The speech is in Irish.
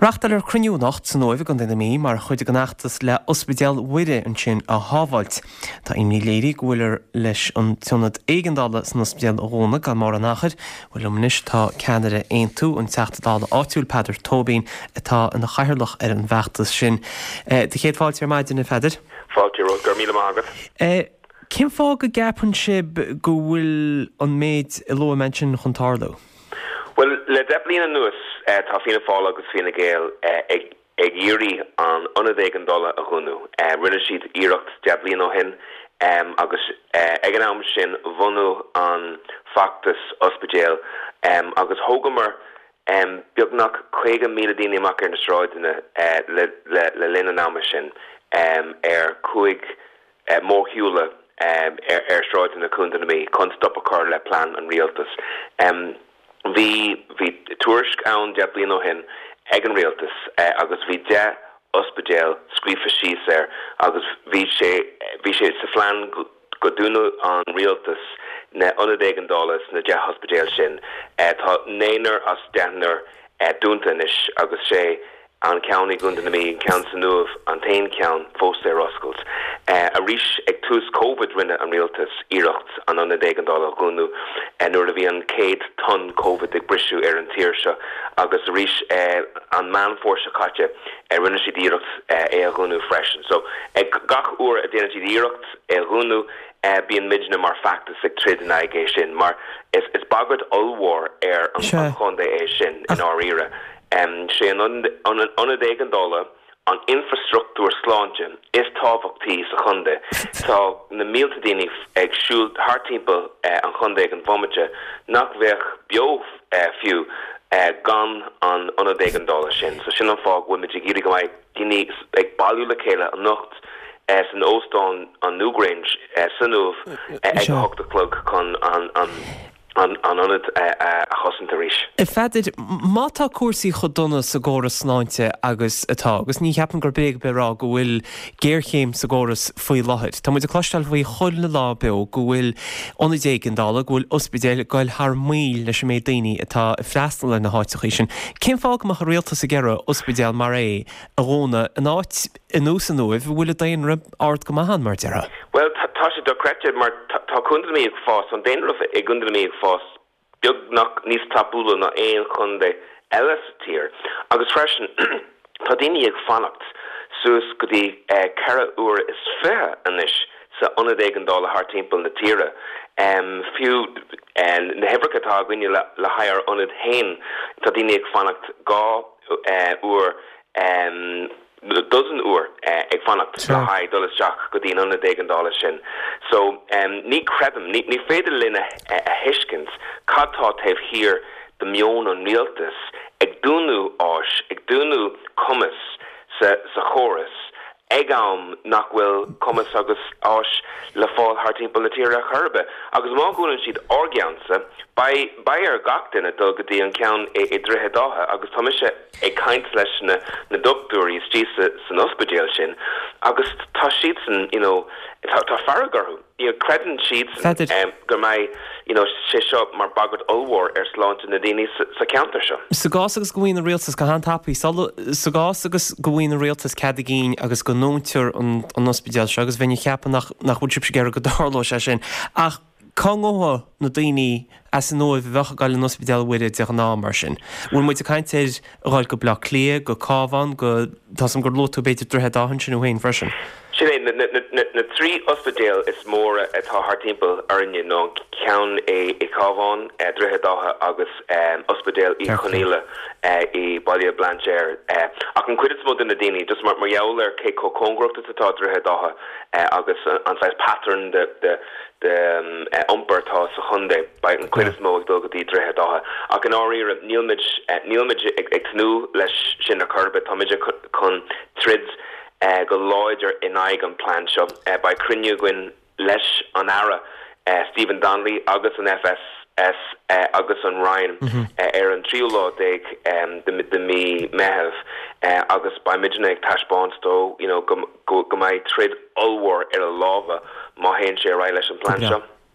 Reáchtáiltear cruinniú anocht san Uaimh i gContae na Mí mar chuid den fheachtas le Ospidéal Mhuire ansin a shábháilt. Tá imní léirithe go bhfuiltear leis an t-ionad éigeandála san ospidéal a dhúnadh gan mórán achair. Bhuel liom anois tá ceannaire Aontú, an Teachta Dála áitiúil Peadar Tóibín atá ina chathaoirleach ar an bhfeachtas sin. Do chéad fáilte ar maidin, a Pheadair. Fáilte romhat, go raibh míle maith agat. Cén fáth go gceapann sibh go bhfuil an méid a luaigh mé ansin chun tarlú? Bhuel, le 10 bliain anuas tá Fianna Fáil agus Fine Gael ag iarraidh an ionad éigeandála a dhúnadh. Rinne siad iarracht 10 bliain ó shin agus ag an am sin bhunaigh an feachtas ospidéal agus thógamar beagnach 50,000 daoine amach ar na sráideanna le linn an ama sin ar chúig mórshiúla ar shráideanna Chontae na Mí chun stop a chur le plean an rialtais. Bhí bhí tuairisc ann 10 bliain ó shin ag an rialtas agus bhí 10 ospidéal scríofa síos air agus bhí sé bhí sé sa phlean go dúnadh an rialtas na ionaid éigeandála sna 10 ospidéal sin. Tá naonúr as deichniúr dúnta anois agus sé An ceann i gContae na Mí, an ceann san Uaimh, an t-aon cheann fós ar oscailt. Arís, ag tús Covid rinne an rialtas iarracht an ionad éigeandála a dhúnadh nuair a bhí an chéad tonn Covid ag briseadh ar an tír seo agus arís an Meán Fómhair seo caite rinne siad iarracht é a dhúnadh freisin. So ag gach uair a déanann siad iarracht é a dhúnadh bíonn muidne mar feachtas ag troid in aghaidh é sin mar is bagairt ollmhór ar an chontae é sin i ndáiríre. Sé an ionad éigeandála an infreastruchtúr sláinte is tábhachtaí sa chontae. Tá na mílte daoine ag siúl thart timpeall an chontae ag an bhomaite nach bheadh beo fiú gan an ionad éigeandála sin. So sin an fáth go bhfuil muid ag iarraidh go mbeidh daoine ag bailiú le chéile anocht san óstán an Newgrange san Uaimh ag a hocht a chlog chun an an ionad a chosaint arís. A Pheadair, má tá cúrsaí chomh dona sa gcóras sláinte agus atá, agus ní cheapaim gur bréag ar bith a rá go bhfuil géarchéim sa gcóras faoi láthair, tá muid ag cloisteáil faoi chuile lá beo go bhfuil ionaid éigeandála, go bhfuil ospidéil ag goil thar maoil leis an méid daoine atá ag freastal ar na háiteachaí sin. Cén fáth go mbeadh an rialtas ag iarraidh ospidéal mar é a dhúnadh in áit ar nós an Uaimh, a bhfuil an daonra ard go maith ann, mar a déarfá. Bhuel, tá sé dochreidte mar tá Contae na Mí ag fás, an daonra i gContae na Mí ag fás beagnach níos tapúla ná aon chontae eile sa tír agus freisin tá daoine ag fanacht suas go dtí 4 uair is 20 anois sa ionad éigeandála thart timpeall na tíre. Fiú na huimhreacha atá againne le haghaidh ár ionad féin, tá daoine ag fanacht 2 uair dozen uair ag fanacht le haghaidh dul isteach go dtí an ionad éigeandála sin. So, ní chreidim, ní féidir linn a thuiscint cad tá taobh thiar de meon an rialtais ag dúnadh áis, ag dúnadh cumas sa chóras ag am nach bhfuil cumas agus áis le fáil thart timpeall na tíre ar chor ar bith. Agus má dhúnann siad ár gceannsa, beidh, beidh ar gach duine dul go dtí an ceann i Droichead Átha agus tá mise ag caint leis na na dochtúirí istigh sa san ospidéal sin agus tá siadsan you know tá tá fearg orthu you know creideann siadsan go mbeidh you know sé seo mar bagairt ollmhór ar sláinte na daoine sa sa cheantar seo. Sa gcás agus go bhfaigheann an rialtas go han-tapaidh, sula, sa gcás agus go bhfaigheann an rialtas cead a gcinn agus go ndúntar an an ospidéal seo agus bheinn ag ceapadh nach nach bhfuil sibhse ag iarraidh go dtarlódh sé sin ach Cá ngabhfaidh na daoine as an Uaimh a bheadh ag dul in Ospidéal Mhuire de ghnáth, mar sin? Bhfuil muid ag caint ar dhul go Baile Átha Cliath, go Cabhán, go, tá 's a'm gur luaigh tú b'fhéidir Droichead Átha ansin thú féin freisin. Sin é, na trí ospidéal is móra atá thart timpeall orainne ná an ceann i gCabhán, Droichead Átha agus Ospidéal Uí Chonghaile i Baile Bhlainséir. Ach an chuid is mó de na daoine, just mar gheall ar cé chomh cóngarach is atá Droichead Átha agus an saghas pattern de iompar atá sa chontae. Beidh an chuid is mó ag dul go dtí Droichead Átha. Ach i ndáiríre, níl muid, níl muid ag tnúth leis sin ar chor ar bith. Tá muid chun troid go láidir in aghaidh an plean seo. Beidh cruinniú againn leis an Aire Stephen Donnelly agus an FSS agus an Roinn ar an tríú lá déag de mhí Meitheamh agus beidh muidne ag taispeáint dó you know go go mbeidh troid ollmhór ar a lámha má théann sé ar aghaidh leis an bplean seo.